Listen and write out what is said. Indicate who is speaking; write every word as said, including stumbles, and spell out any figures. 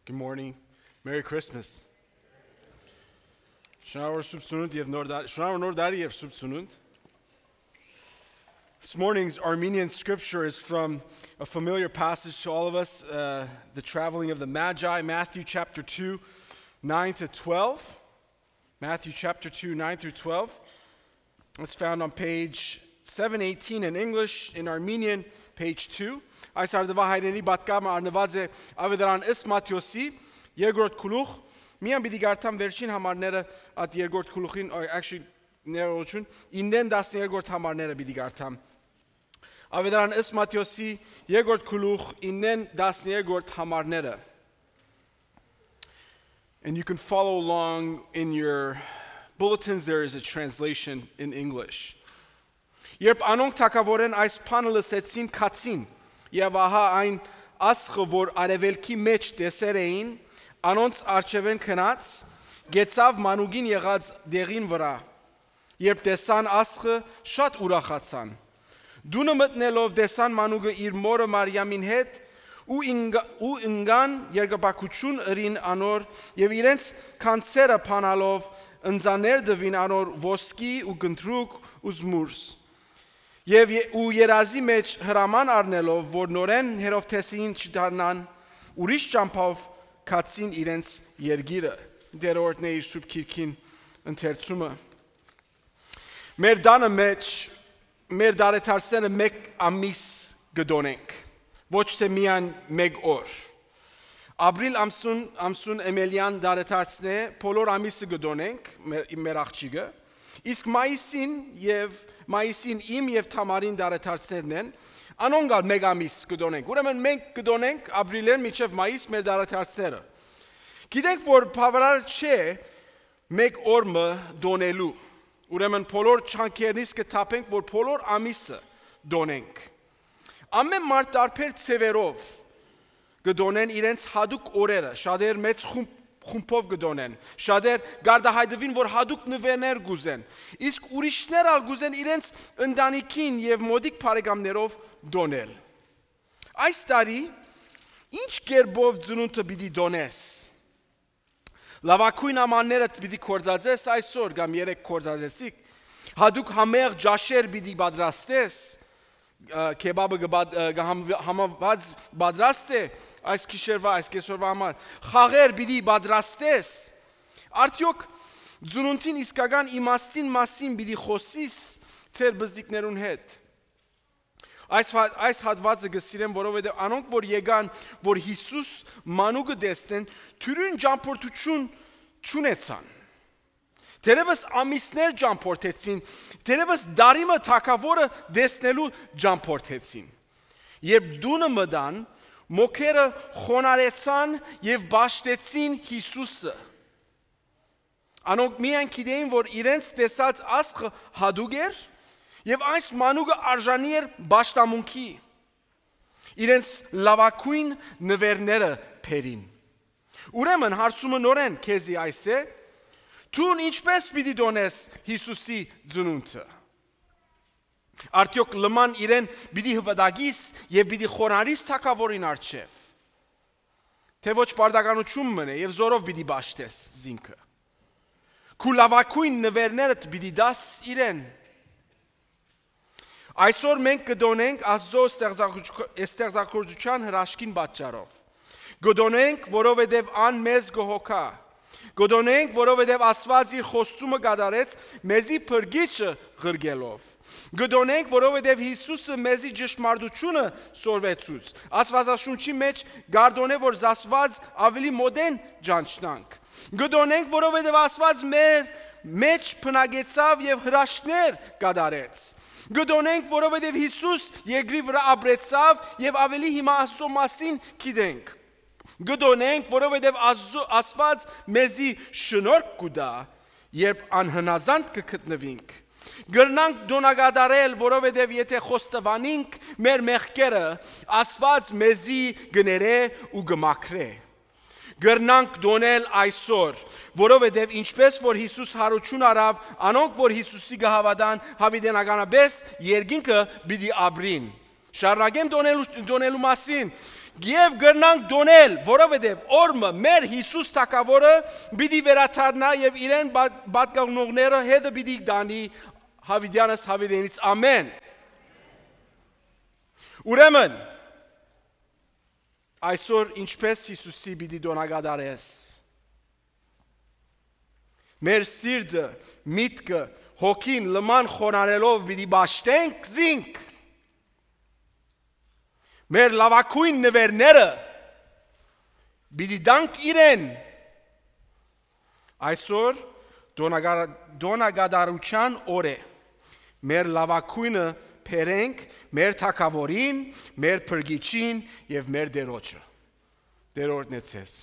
Speaker 1: Good morning. Merry Christmas. Shana Subsunut, you have Nordari, you have Subsunut. This morning's Armenian scripture is from a familiar passage to all of us, uh, the traveling of the Magi, Matthew chapter two, nine to twelve. Matthew chapter two, nine through twelve. It's found on page seven eighteen in English, in Armenian, page two. Այս արդվա հայրենի բատկամը արնված է ավետարան ըստ Մատթեոսի երկրորդ գլուխ միան պիտի գարտամ վերջին համարները at երկրորդ գլուխին actually ներողություն իննեն տասներորդ համարները պիտի գարտամ ավետարան ըստ Մատթեոսի երկրորդ գլուխ իննեն տասներորդ համարները. And you can follow along in your bulletins. There is a translation in English. Երբ անոնք թակավորեն այս բանը լսեցին քացին եւ ահա այն ասխը որ արևելքի մեջ տեսեր էին անոնց արջևեն քնած գեցավ մանուկին եղած դեղին վրա երբ տեսան ասխը շատ ուրախացան դունը մտնելով տեսան մանուկը իր մորը Մարիամին հետ ու ու ընկան երկաբակություն ըրին անոր եւ իրենց կանցերը փանալով ընձաներ դվին անոր ոսկի ու գնդրուկ ու զմուրս Եվ ու երազի մեջ հրաման առնելով, որ նորեն Հերովթեսին չդառնան, ուրիշ ճամփով քացին իրենց երգիրը, դերորդն է իր սուրբ քիրքին ընթերցումը։ Մեր դանը մեջ, մեր դարեթարցները մեկ ամիս գդոնենք, ոչ թե միայն մեկ օր։ Ապրիլ ամսուն, ամսուն էմելյան դարեթարցն է, բոլոր ամիսը գդոնենք, մեր աղջիկը, իսկ մայիսին եւ մայիսին իմ եւ Թամարին դարեթարցներն են, անոնք մեկ ամիս կդոնենք։ Ուրեմն մենք կդոնենք ապրիլեն մինչև մայիս մեր դարեթարցները։ Գիտենք, որ բավարար չէ մեկ օրը դոնելու։ Ուրեմն բոլոր չանքերնից կթափենք, որ բոլոր ամիսը դոնենք։ Ամեն մարդ տարբեր ցևերով կդոնեն իրենց հadouk օրերը, շատեր մեծ խումբ խումբով գդոնեն, շատեր գարդահայտվին, որ հadouk նվերներ գուզեն, իսկ ուրիշներ ալ գուզեն իրենց ընտանիքին եւ մոդիկ բարեկամներով դոնել։ Այս տարի ինչ կերպով ծնունդը պիտի դոնես։ Լավակույն ամանները պիտի կորզածես այսօր կամ երեք կորզածեցիք, հadouk համեղ ջաշեր պիտի պատրաստես, քեբաբը համաված պատրաստ է այս քիշերվա այս կեսօրվա համար խաղեր պիտի պատրաստես արդյոք ծնունդին իսկական իմաստին մասին պիտի խոսիս ծեր բզդիկներուն հետ այս այս հատվածը գսիրեմ որովհետև անոնք որ եկան որ Հիսուս մանուկը տեսնեն թյուրին ճամփորդություն չունեցան Դերևս ամիսներ ճամփորդեցին, դերևս դարիմը թակավորը տեսնելու ճամփորդեցին։ Երբ դունը մտան, մոքերը խոնարեցան եւ բաշտեցին Հիսուսը։ Անոնք միայն գիտեին, որ իրենց տեսած ասխը հadouk էր եւ այս մանուկը արժանի էր բաշտամունքի։ Իրենց լավակույն նվերները փերին։ Ուրեմն հարցումը նորեն քեզի այս է Տուն ինչպես պիտի դոնես Հիսուսի ծնունդը։ Արդյոք լման իրեն պիտի հպատակիս եւ պիտի խոնարհիս թակավորին առջև։ Թե ոչ պարտականություն մնե եւ զորով պիտի բաշտես զինքը։ Քու լավակույն նվերներդ պիտի դաս իրեն։ Այսօր մենք կդոնենք Աստծո ստեղծագործության հրաշքին պատճառով։ Կդոնենք, որովհետեւ ան մեզ գոհոքա Գոդոնենք, որովհետև Աստված իր խոստումը կատարեց մեզի փրկիչը ղրգելով։ Գոդոնենք, որովհետև Հիսուսը մեզի ճշմարտությունը սորվեցուց։ Աստվածաշունչի մեջ գարդոն է, որ Աստված ավելի մոդեն ճանչնանք։ Գոդոնենք, որովհետև Աստված մեր մեջ փնագեցավ եւ հրաշքներ կատարեց։ Գոդոնենք, որովհետև Հիսուս երկրի վրա ապրեցավ եւ ավելի հիմա Աստծո մասին գիտենք։ Գդոնենք, որովհետև Աստված մեզի շնորհք կուտա, երբ անհնազանդ կգտնվենք։ Գրնանք դոնագադարել, որովհետև եթե խոստովանենք մեր մեղքերը, Աստված մեզի գներե ու գմաքրե։ Գրնանք դոնել այսօր, որովհետև ինչպես որ Հիսուս հարություն արավ, անոնք որ Հիսուսի գահավատան հավիտենականապես երկինքը պիտի ապրին։ Շարունակեմ դոնելու, դոնելու մասին եւ գրնանք դոնել, որովհետեւ օրը մեր Հիսուս թագավորը պիտի վերաթարնա եւ իրեն պատկանողները հետը պիտի դանի Հավիդյանս Հավիդենից ամեն։ Ուրեմն այսօր ինչպես Հիսուսի պիտի դոնագադարես։ Մեր սիրտը, միտքը, հոգին լման խոնարելով պիտի բաշտենք զինք։ Մեր լավակույն նվերները պիտի դանք իրեն։ Այսօր դոնագադարության օր է։ Մեր լավակույնը փերենք մեր թագավորին, մեր փրկիչին եւ մեր Տերոջը։ Տերորդն է ցես։